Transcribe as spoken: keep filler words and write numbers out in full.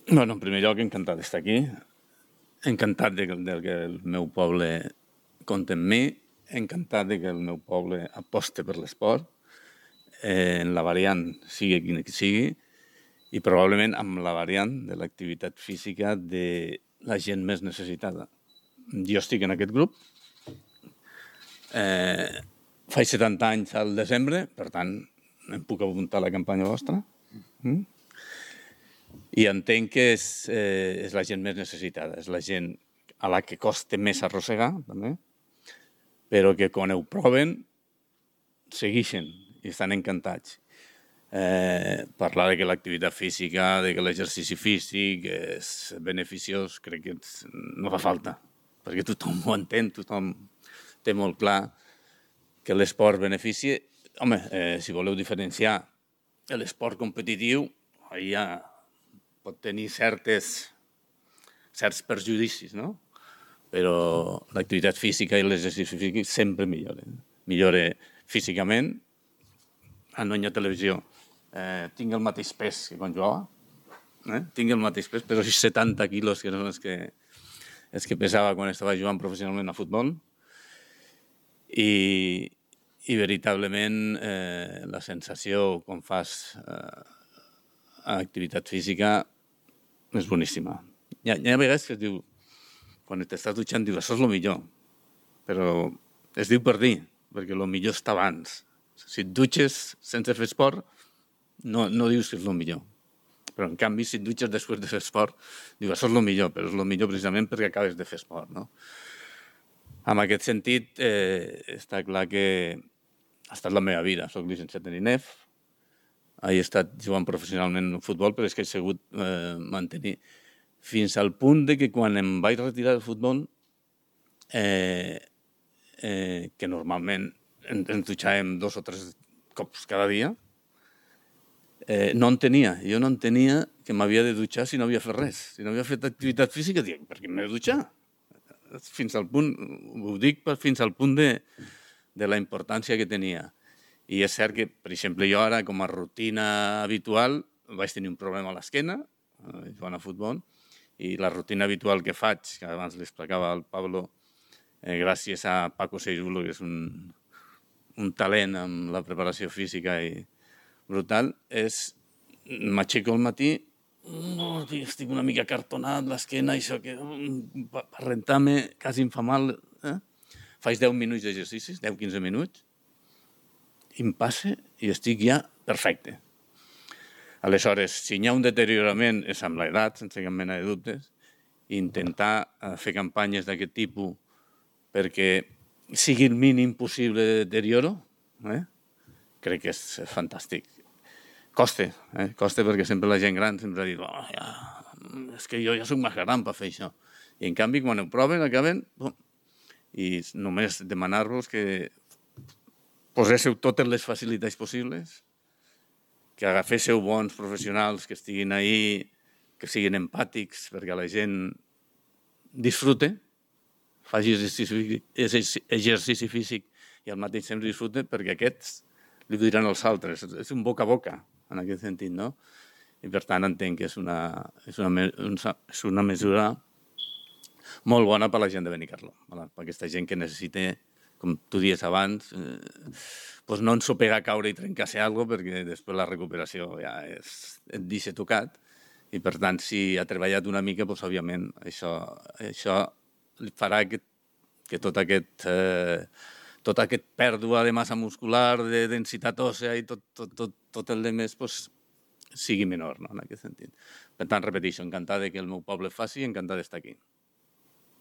Bueno, en primer lloc, encantat d'estar aquí. Encantat de que, de que el meu poble compta amb mi. Encantat de que el meu poble aposte per l'esport, eh, en la variant sigui quina que sigui, i probablement amb la variant de l'activitat física de la gent més necessitada. Jo estic en aquest grup. Eh, faig setanta anys al desembre, per tant, em puc apuntar a la campanya vostra. Mm? I entenc que és, eh, és la gent més necessitada, és la gent a la que costa més arrossegar, també, però que quan ho proven segueixen i estan encantats. Eh, parlar de que l'activitat física, de que l'exercici físic és beneficiós, crec que no fa falta, perquè tothom ho entén, tothom té molt clar que l'esport beneficia. Home, eh, si voleu diferenciar l'esport competitiu, ja pot tenir certes, certs perjudicis, no? Però l'activitat física i l'exercici físic sempre milloren. Millora físicament. Ah, no hi ha televisió. Eh, tinc el mateix pes que quan jugava. Eh? Tinc el mateix pes, però setanta quilos, que són els que, els que pesava quan estava jugant professionalment a futbol. I, i veritablement eh, la sensació quan fas eh, activitat física és boníssima. Hi ha, hi ha vegades que es diu, quan t'estàs dutxant, diu, això és el millor, però es diu per dir, perquè el millor està abans. Si et dutxes sense fer esport, no, no dius que és el millor. Però, en canvi, si et dutxes després de fer esport, diu, això és el millor, però és el millor precisament perquè acabes de fer esport, no? En aquest sentit, eh, està clar que ha estat la meva vida. Soc llicenciat en I N E F, he estat jugant professionalment en futbol, però és que he sigut eh, mantenir fins al punt de que quan em vaig retirar del futbol, eh, eh, que normalment ens dutxàvem dos o tres cops cada dia, eh, no en tenia. Jo no en tenia que m'havia de dutxar si no havia fet res. Si no havia fet activitat física, dic, per què m'he de dutxar? Fins al punt, ho dic fins al punt de, de la importància que tenia. I és cert que, per exemple, jo ara, com a rutina habitual, vaig tenir un problema a l'esquena, eh, jugant a futbol, i la rutina habitual que faig, que abans l'explicava al Pablo, eh, gràcies a Paco Seirulo, que és un, un talent amb la preparació física i brutal, és m'aixeco al matí, no, estic una mica cartonat, l'esquena, això que per rentar-me quasi em fa mal. Eh? Faig deu minuts d'exercicis, deu a quinze minuts, i em passa i estic ja perfecte. Aleshores, si hi ha un deteriorament és amb l'edat, sense cap mena de dubtes, i intentar fer campanyes d'aquest tipus perquè sigui el mínim possible de deterioro, eh? crec que és fantàstic. Costa, eh? costa perquè sempre la gent gran sempre ha dit oh, ja, és que jo ja soc més gran per fer això. I en canvi, quan ho proven, acaben... Bom, i només demanar-vos que poséssiu totes les facilitats possibles, que agaféssiu bons professionals que estiguin ahí, que siguin empàtics perquè la gent disfrute, faci exercici, exercici físic i al mateix temps disfrute, perquè aquests li diran als altres. És un boca a boca, en aquest sentit, no? I per tant entenc que és una, és una, és una mesura molt bona per a la gent de Benicarló, per aquesta gent que necessita, com tu dies abans, eh, doncs no ensopegar, caure i trencar-se alguna cosa, perquè després la recuperació ja és, et deixa tocat, i per tant, si ha treballat una mica, doncs òbviament això, això farà que, que tot aquest... Eh, tota aquesta pèrdua de massa muscular, de densitat òssea i tot, tot, tot, tot el demés pues, sigui menor, no? En aquest sentit. Per tant, repeteixo, encantat que el meu poble faci i encantat d'estar aquí.